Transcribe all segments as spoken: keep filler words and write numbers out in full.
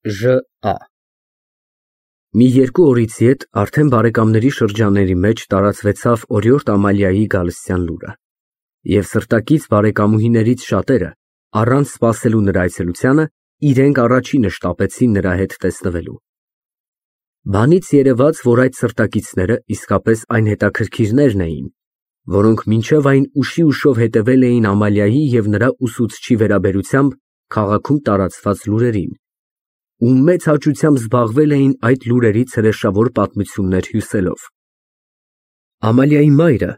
Ժ.Ա. Մի երկու օրից ետ արդեն բարեկամների շրջանների մեջ տարածվեցավ օրիորդ Ամալիայի գալստյան լուրը, և սրտակից բարեկամուհիներից շատերը, առանց սպասելու նրա այցելությանը, իրենք առաջինը շտապեցին նրա հետ տեսնվելու։ Բանից երևաց, որ այդ սրտակիցները իսկապես այն հետաքրքիրներն էին, որոնք մինչև այն ուշի ուշով հետևել էին Ամալիայի և նրա ուսուցչի վերաբերությամբ քաղաքում տարածված լուրերին, ու մեծ հաճությամբ զբաղվել էին այդ լուրերից հրեշավոր պատմություններ հյուսելով։ Ամալիայի մայրը,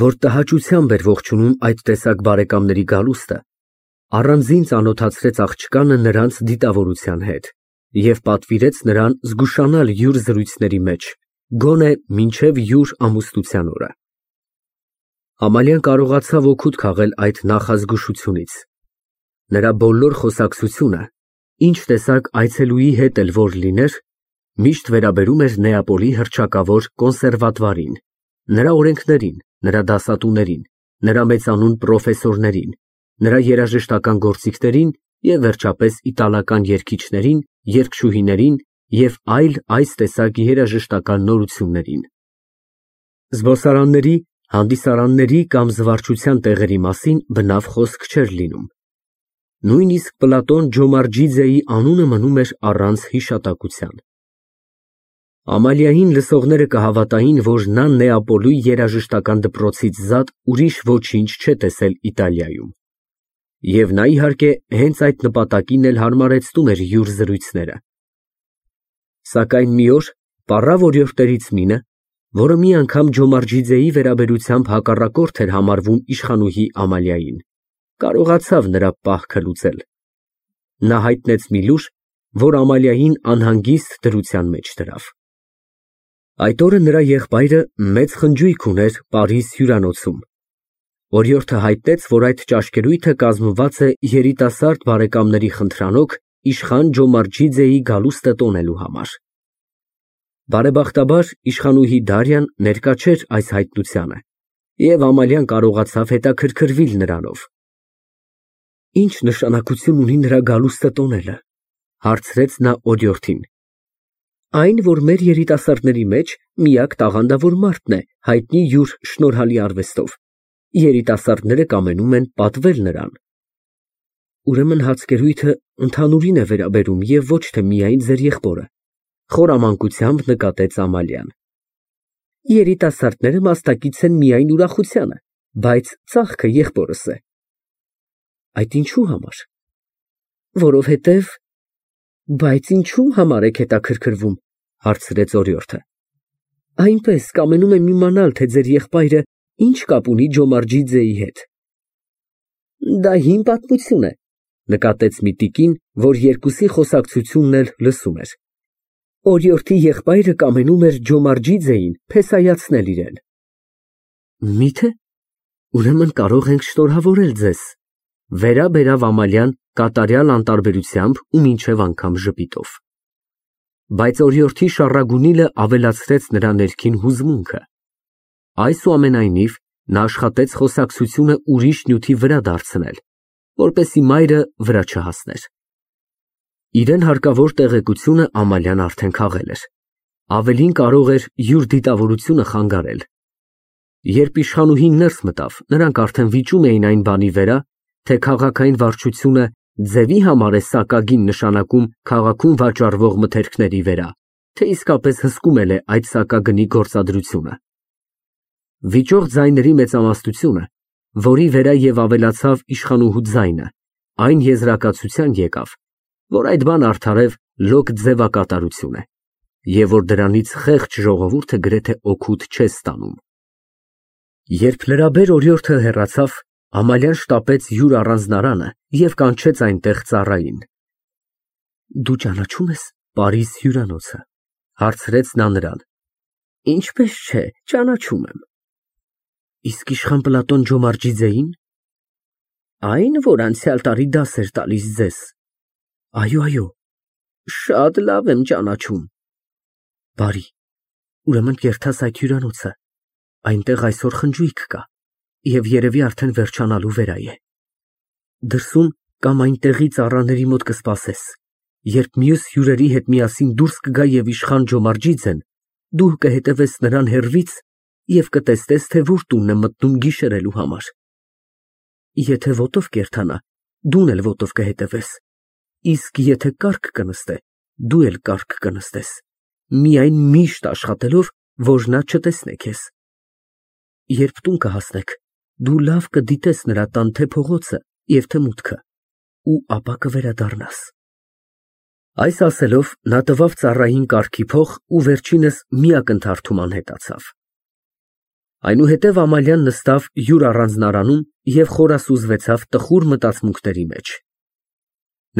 որ տհաճությամբ էր ողջունում այդ տեսակ բարեկամների գալուստը, առանձին ծանոթացրեց աղջկանը նրանց դիտավորության հետ և պատվիրեց նրան զգուշանալ յուր զրույցների մեջ, գոնե մինչև յուր ամուսնության օրը։ Ամալիան կարողացավ օգուտ քաղել այդ նախազգուշությունից։ Նրա բոլոր խոսակցությունը, ինչ տեսակ այցելուի հետ էլ որ լիներ, միշտ վերաբերում էր Նեապոլի հռչակավոր կոնսերվատվարին, նրա օրենքներին, նրա դասատուներին, նրա մեծանուն պրոֆեսորներին, նրա երաժշտական գործիքներին և վերջապես իտալական երգիչներին, երգչուհիներին և այլ այս տեսակ երաժշտական նորություններին։ Զբոսարանների, հանդիսարանների կամ զվարճության տեղերի մասին բնավ խոսք չէր լինում։ Նույնիսկ Պլատոն Ջոմարջիձեի անունը մնում էր առանց հիշատակության։ Ամալիային լսողները կհավատային, որ նա Նեապոլի երաժշտական դպրոցից զատ ուրիշ ոչինչ չէ տեսել Իտալիայում։ Եվ նա, իհարկե, հենց այդ նպատակին էլ հարմարեցնում էր յուր զրույցները։ Սակայն մի օր պառավ օրիորդներից մինը, որը մի անգամ Ջոմարջիձեի վերաբերությամբ հակառակորդ էր համարվում իշխանուհի Ամալիային, կարողացավ նրա պահքը լուծել։ Նա հայտնեց մի լուր, որ Ամալիային անհանգիստ դրության մեջ դրավ։ Այդ օրը նրա եղբայրը մեծ խնջույք ուներ Պարիզ հյուրանոցում։ Օրիորդը հայտնեց, որ այդ ճաշկերույթը կազմված է երիտասարդ բարեկամների խնդրանոք իշխան Ջոմարջիձեի գալուստը տոնելու համար։ Բարեբախտաբար իշխանուհի Դարյան ներկա չէր այս հայտնությանը, և Ամալիան կարողացավ հետաքրքրվել նրանով։ Ի՞նչ նշանակություն ունի նրա գալուստը տոնելը, հարցրեց նա օրիորդին։ Այն, որ մեր երիտասարդների մեջ միակ տաղանդավոր մարդն է, հայտնի յուր շնորհալի արվեստով, երիտասարդները կամենում են պատվել նրան։ Ուրեմն հացկերույթը ընդհանուրին է վերաբերում և ոչ թե միայն ձեր եղբորը, խորամանկությամբ նկատեց Ամալիան։ Երիտասարդները մասնակից են միայն ուրախությանը, բայց ծախքը եղբորս է։ Այդ ինչու համար։ Որովհետև… Բայց ինչու համար եք հետաքրքրվում, հարցրեց օրիորդը։ Այնպես կամենում եմ իմանալ, թե ձեր եղբայրը ինչ կապ ունի Ջոմարջիձեի հետ։ Դա հին պատմություն է, նկատեց մի տիկին, որ երկուսի խոսակցությունն էլ լսում էր։ Օրիորդի եղբայրը կամենում էր Ջոմարջիձեին փեսայացնել իրեն։ Միթե, ուրեմն կարող ենք շնորհավորել ձեզ, վերաբերավ Ամալիան կատարյալ անտարբերությամբ ու մինչև անգամ ժպիտով։ Բայց օրիորդի շառագունիլը ավելացրեց նրա ներքին հուզմունքը։ Այսուամենայնիվ, նա աշխատեց խոսակցությունը ուրիշ նյութի վրա դարձնել, որպեսզի մայրը վրա չհասներ։ Իրեն հարկավոր տեղեկությունը Ամալիան արդեն քաղել էր, ավելին կարող էր յուր դիտավորությունը խանգարել։ Երբ իշխանուհին ներս մտավ, նրանք արդեն վիճում էին այն բանի վերա, թե քաղաքային վարչությունը ձևի համար է սակագին նշանակում քաղաքում վաճառվող մթերքների վրա, թե իսկապես հսկում էլ է այդ սակագնի գործադրությունը։ Վիճող ձայների մեծամասնությունը, որի վրա և ավելացավ իշխանուհու ձայնը, այն եզրակացության եկավ, որ այդ բան արդարև լոկ ձևակատարություն է, և որ դրանից խեղճ ժողովուրդը գրեթե օգուտ չէ ստանում։ Երբ լրաբեր օրիորդը հեռացավ, Ամալիան շտապեց յուր առանձնարանը և կանչեց այնտեղ ծառային։ Դու ճանաչո՞ւմ ես Պարիզ հյուրանոցը, հարցրեց նա նրան։ Ինչպես չէ, ճանաչում եմ։ Իսկ իշխան Պլատոն Ջոմարջիձեին։ Այն, որ անցյալ տարի դաս էր տալիս ձեզ։ Այո, այո, շատ լավ եմ ճանաչում։ Բարի, ուրեմն կերտաս այդ հյուրանոցը, այնտեղ այսօր խնջույք կա, և երևի արդեն վերջանալու վրա է։ Դրսում կամ այնտեղի ծառաների մոտ կսպասես, Երբ մյուս հյուրերի հետ միասին դուրս կգա և իշխան Ջոմարջիձեն, դու կհետևես նրան հեռվից և կտեսնես, թե որ տունն է մտնում գիշերելու համար։ Եթե ոտով կերթանա, դու էլ ոտով կհետևես, իսկ եթե կառք կնստե, դու էլ կառք կնստես, միայն միշտ աշխատելով, որ նա չտեսնե քեզ։ Երբ տուն կհասնեք, դու լավ կդիտես նրա տան թե փողոցը և թե մուտքը, ու ապա կվերադառնաս։ Այս ասելով, նա տվավ ծառային կառքի փող ու վերջինս մի ակնթարթում անհետացավ։ Այնուհետև Ամալիան նստավ յուր առանձնարանում և խորասուզվեցավ տխուր մտածմունքների մեջ։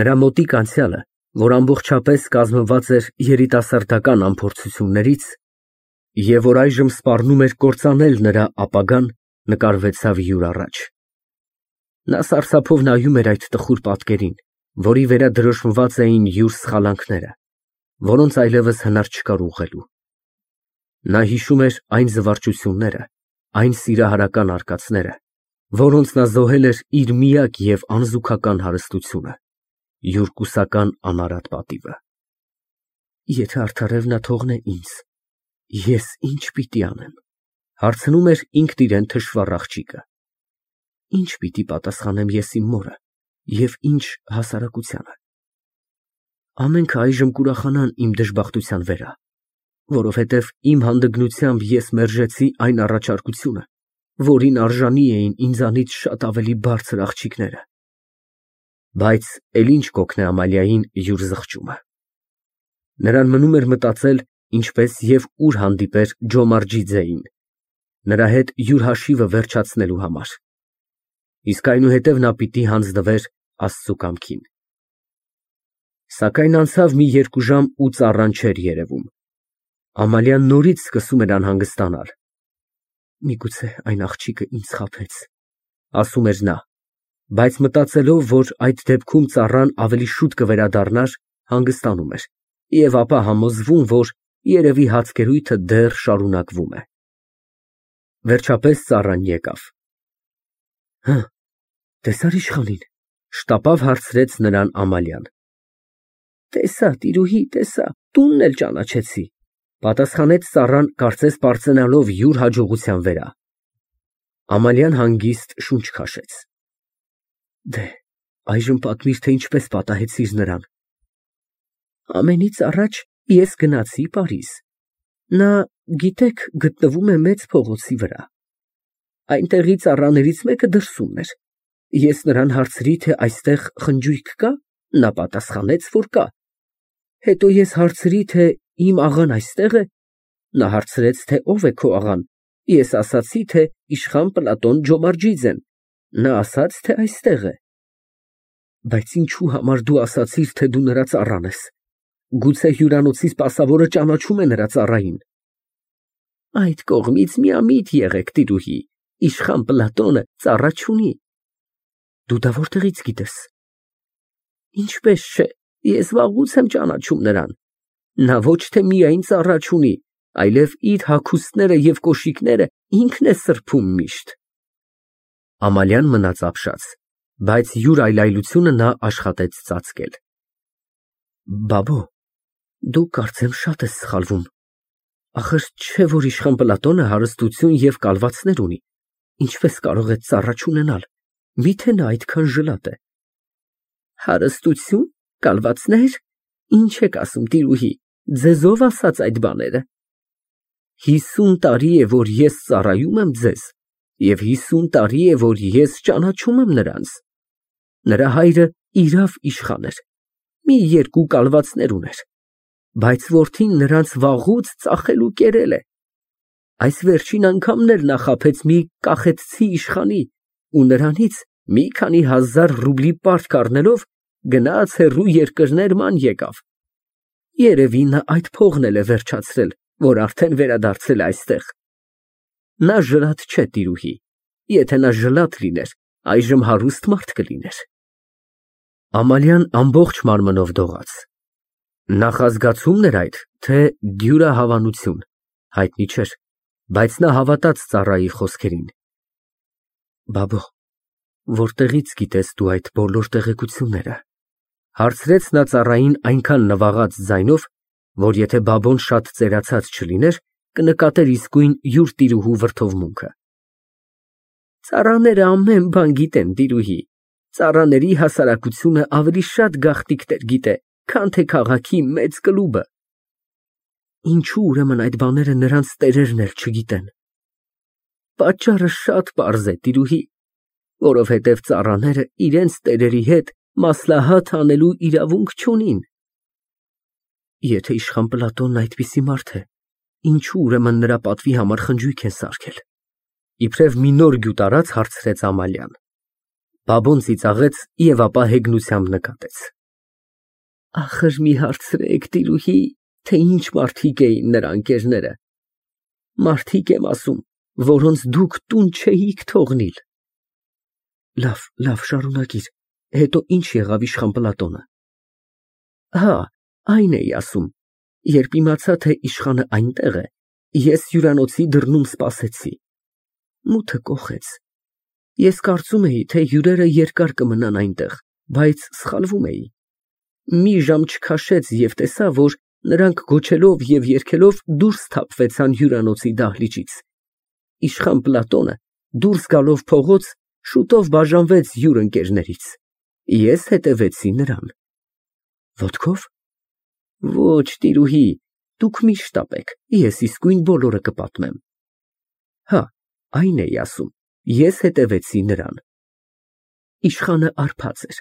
Նրա մոտիկ անցյալը, որ ամբողջապես կազմված էր երիտասարդական անփորձություններից, և որ այժմ սպառնում էր կործանել նրա ապագան, նկարվեցավ յուր առաջ։ Նա սարսափով նայում էր այդ տխուր պատկերին, որի վրա դրոշմված էին յուր սխալանքները, որոնց այլևս հնար չկար ուղղելու։ Նա հիշում էր այն զվարճությունները, այն սիրահարական արկածները, որոնց նա զոհել էր իր միակ և անզուգական հարստությունը, յուր կուսական անարատ պատիվը։ Եթե արդարև նա թողնե ինձ, ես ի՞նչ պիտի անեմ, հարցնում էր ինքն իրան թշվառ աղջիկը։ Ի՞նչ պիտի պատասխանեմ ես իմ մորը և ի՞նչ հասարակությանը։ Ամենքը այժմ կուրախանան իմ դժբախտության վրա, որովհետև իմ հանդգնությամբ ես մերժեցի այն առաջարկությունը, որին արժանի էին ինձանից շատ ավելի բարձր աղջիկները։ Բայց էլ ինչ կօգնե Ամալիային յուր զղջումը։ Նրան մնում էր մտածել, ինչպես և ուր հանդիպեր Ջոմարջիձեին, նրա հետ յուր հաշիվը վերջացնելու համար, իսկ այնուհետև նա պիտի հանձնվեր Աստծու կամքին։ Սակայն անցավ մի երկու ժամ ու ծառան չէր երևում։ Ամալիան նորից սկսում էր անհանգստանալ։ Միգուցե այն աղջիկը ինձ խաբեց, ասում էր նա, բայց մտածելով, որ այդ դեպքում ծառան ավելի շուտ կվերադառնար, հանգստանում էր և ապա համոզվում, որ երևի հացկերույթը դեռ շարունակվում է։ Վերջապես ծառան եկավ։ Հը, տեսա՞ր իշխանին, շտապավ հարցրեց նրան Ամալիան։ Տեսա, տիրուհի, տեսա, տունն էլ ճանաչեցի, պատասխանեց ծառան, կարծես պարծենալով յուր հաջողության վրա։ Ամալիան հանգիստ շունչ քաշեց։ Դե, այժմ պատմիր, թե ինչպես պատահեցիր նրան։ Ամենից առաջ ես գնացի Պարիզ։ Նա, գիտեք, գտնվում է մեծ փողոցի վրա։ Այնտեղի ծառաներից մեկը դրսումն էր։ Ես նրան հարցրի, թե այստեղ խնջույք կա, նա պատասխանեց, որ կա։ Հետո ես հարցրի, թե իմ աղան այստեղ է, նա հարցրեց, թե ով է քո աղան, ես ասացի, թե իշխան Պլատոն Ջոմարջիձեն, նա ասաց, թե այստեղ է։ Բայց ինչու համար դու ասացիր, թե դու նրա ծառան ես։ Գուցե հյուրանոցի սպասավորը ճանաչում է նրա ծառային։ Այդ կողմից միամիտ եղեք, տիրուհի, իշխան Պլատոնը ծառա չունի։ Դու դա որտեղից գիտես։ Ինչպես չէ, ես վաղուց եմ ճանաչում նրան։ Նա ոչ թե միայն ծառա չունի, այլև իր հագուստները և կոշիկները ինքն է սրբում միշտ։ Ամալիան մնաց ապշած, բայց յուր այլայլությունը նա աշխատեց ծածկել։ Բաբո, դու կարծեմ շատ ես սխալվում։ Ախր չէ՞ որ իշխան Պլատոնը հարստություն և կալվածներ ունի, ինչպես կարող է ծառա չունենալ, միթե նա այդքան ժլատ է։ Հարստություն, կալվածնե՞ր, ինչ եք ասում, տիրուհի, ձեզ ով ասաց այդ բաները։ Հիսուն տարի է, որ ես ծառայում եմ ձեզ, և հիսուն տարի է, որ ես ճանաչում եմ նրանց։ Նրա հայրը իրավ իշխան էր, մի երկու կալվածներ ուներ, բայց որդին նրանց վաղուց ծախել ու կերել է։ Այս վերջին անգամն էլ նա խաբեց մի կախետցի իշխանի ու նրանից մի քանի հազար ռուբլի պարտք առնելով գնաց հեռու երկրներ ման եկավ։ Երևի նա այդ փողն էլ է վերջացրել, որ արդեն վերադարձել է այստեղ։ Նա ժլատ չէ, տիրուհի, եթե նա ժլատ լիներ, այժմ հարուստ մարդ կլիներ։ Ամալիան ամբողջ մարմնով դողաց։ Նախազգացումն էր այդ, թե դյուրահավանություն, հայտնի չէր, բայց նա հավատաց ծառայի խոսքերին։ Բաբո, որտեղից գիտես դու այդ բոլոր տեղեկությունները։ Հարցրեց նա ծառային այնքան նվաղած ձայնով, որ եթե բաբոն շատ ծերացած չլիներ, կնկատեր իսկույն յուր տիրուհու վրդովմունքը։ Ծառաները ամեն բան գիտեն, տիրուհի, ծառաների հասարակությունը ավելի շատ գաղտնիքներ գիտե, քան թե քաղաքի մեծ կլուբը։ Ինչու ուրեմն այդ բաները նրանց տերերն էլ չգիտեն։ Պատճառը շատ պարզ է, տիրուհի, որովհետև ծառաները իրենց տերերի հետ մասլահաթ անելու իրավունք չունին։ Եթե իշխան Պլատոնն այդպիսի մարդ է, ինչու ուրեմն նրա պատվի համար խնջույք են սարքել։ Իբրև մի նոր գյուտ արած հարցրեց Ամալիան։ Բաբոն ծիծաղեց և ապա հեգնությամբ նկատեց. Ախր մի հարցրեք, տիրուհի, թե ինչ մարդիկ էին նրա ընկերները։ Մարդիկ եմ ասում, որոնց դուք տուն չէիք թողնիլ։ Լավ, լավ, շարունակիր, հետո ինչ եղավ իշխան Պլատոնը։ Հա, այն էի ասում, երբ իմացա, թե իշխանը այնտեղ է, ես հյուրանոցի դռնում սպասեցի։ Մութը կոխեց։ Ես կարծում էի, թե հյուրերը երկար կմնան այնտեղ, բայց սխալվում էի։ Մի ժամ չքաշեց և տեսա, որ նրանք գոչելով և երգելով դուրս թափվեցան հյուրանոցի դահլիճից։ Իշխան Պլատոնը դուրս գալով փողոց շուտով բաժանվեց յուր ընկերներից։ Ես հետևեցի նրան։ Ոտքով։ Ոչ, տիրուհի, դուք միշտ տապեք, ես իսկույն բոլորը կպատմեմ։ Հա, այն էի ասում, ես հետևեցի նրան։ Իշխանը արբած էր,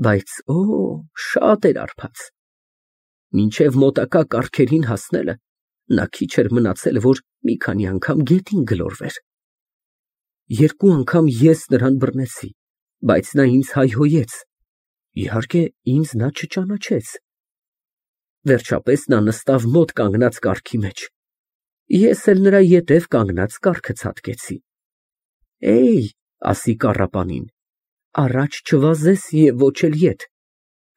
բայց օ, շատ էր արբած։ Մինչև մոտակա կառքերին հասնելը նա քիչ էր մնացել, որ մի քանի անգամ գետին գլորվեր։ Երկու անգամ ես նրան բռնեցի, բայց նա ինձ հայհոյեց։ Իհարկե, ինձ նա չճանաչեց։ Վերջապես նա նստավ մոտ կանգնած կառքի մեջ։ Ես էլ նրա ետև կանգնած կառքը ցատկեցի։ Էյ, ասի կառապանին, առաջ չվազես և ոչ էլ ետ,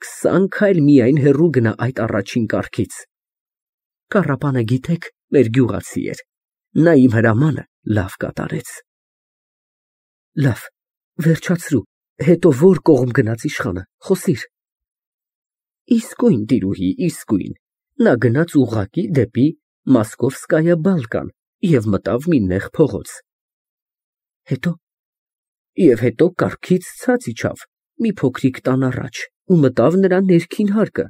քսան քայլ միայն հեռու գնա այդ առաջին կառքից։ Կառապանը, գիտեք, մեր գյուղացի էր, նա իմ հրամանը լավ կատարեց։ Լավ, վերջացրու, հետո որ կողմ գնաց իշխանը, խոսիր։ Իսկույն, տիրուհի, իսկույն, նա գնաց ուղղակի դեպի Մոսկովսկայա բալկան և մտավ մի նեղ փողոց։ Հետո։ Եվ հետո կառքից ցած իջավ մի փոքրիկ տան առաջ ու մտավ նրա ներքին հարկը։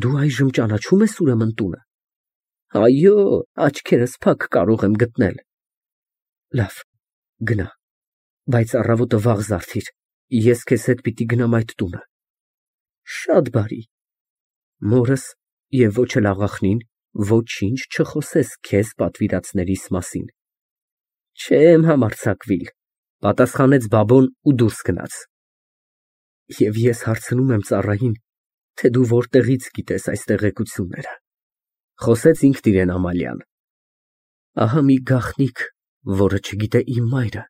Դու այժմ ճանաչում ես ուրեմն տունը։ Այո, աչքերս փակ կարող եմ գտնել։ Լավ, գնա, բայց առավոտը վաղ զարթիր, ես քեզ հետ պիտի գնամ այդ տունը։ Շատ բարի։ Մորս և ոչ էլ աղախնին ոչինչ չխոսես քեզ պատվիրածներիս մասին։ Չեմ համարձակվիլ, պատասխանեց բաբոն ու դուրս գնաց։ Եվ ես հարցնում եմ ծառային, թե դու որտեղից գիտես այս տեղեկությունները, խոսեց ինքն իրեն Ամալիան։ Ահա մի գաղտնիք, որը չգիտե իմ մայրը,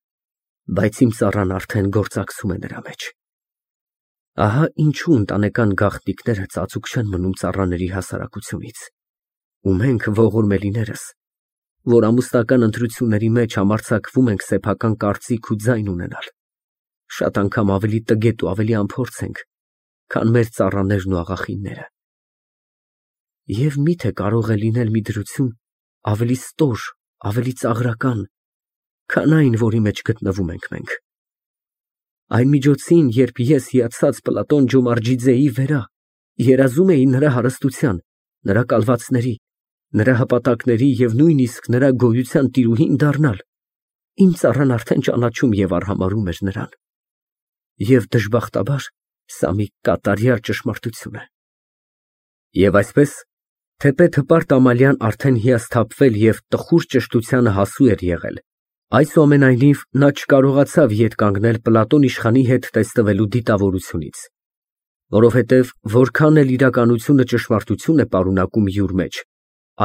բայց իմ ծառան արդեն գործակցում է նրա մեջ։ Ահա ինչու ընտանեկան գաղտնիքները ծածուկ չեն մնում ծառաների հասարակությունից, ու մենք ողորմելիներս, որ ամուսնական ընտրությունների մեջ համարձակվում ենք սեփական կարծիք ու ձայն ունենալ, շատ անգամ ավելի տգետ ու ավելի անփորձ ենք, քան մեր ծառաներն ու աղախինները։ Եվ միթե կարող է լինել մի դրություն ավելի ստոր, ավելի ծաղրական, քան այն, որի մեջ գտնվում ենք մենք։ Այն միջոցին, երբ ես հիացած Պլատոն Ջոմարջիձեի վերա, երազում էի նրա հարստության, նրա կալվածների, նրա հպատակների և նույնիսկ նրա գոյության տիրուհին դառնալ, իմ ծառան արդեն ճանաչում և արհամարհում էր նրան։ Եվ դժբախտաբար, սա մի կատարյալ ճշմարտություն է։ Եվ այսպես, թեպետ հպարտ Ամալիան արդեն հիասթափվել և տխուր ճշտությանը հասու էր եղել, այսուամենայնիվ նա չկարողացավ ետ կանգնել Պլատոն իշխանի հետ տեսնվելու դիտավորությունից, որովհետև որքան էլ իրականությունը ճշմարտություն է պարունակում յուր մեջ,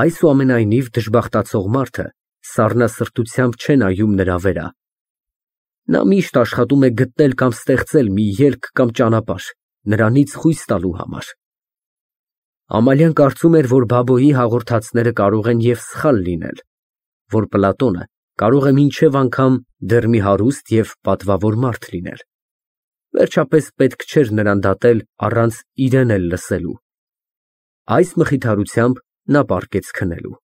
այսուամենայնիվ դժբախտացող մարդը սառնասրտությամբ չէ նայում նրա վերա։ Նա միշտ աշխատում է գտնել կամ ստեղծել մի ելք կամ ճանապարհ, նրանից խույս տալու համար։ Ամալիան կարծում էր, որ բաբոյի հաղորդածները կարող են և սխալ լինել, որ Պլատոնը կարող է մինչև անգամ դեռ մի հարուստ և պատվավոր մարդ լինել։ Վերջապես պետք չէր նրան դատել առանց իրեն էլ լսելու։ Այս մխիթարությամբ նա պառկեց քնելու։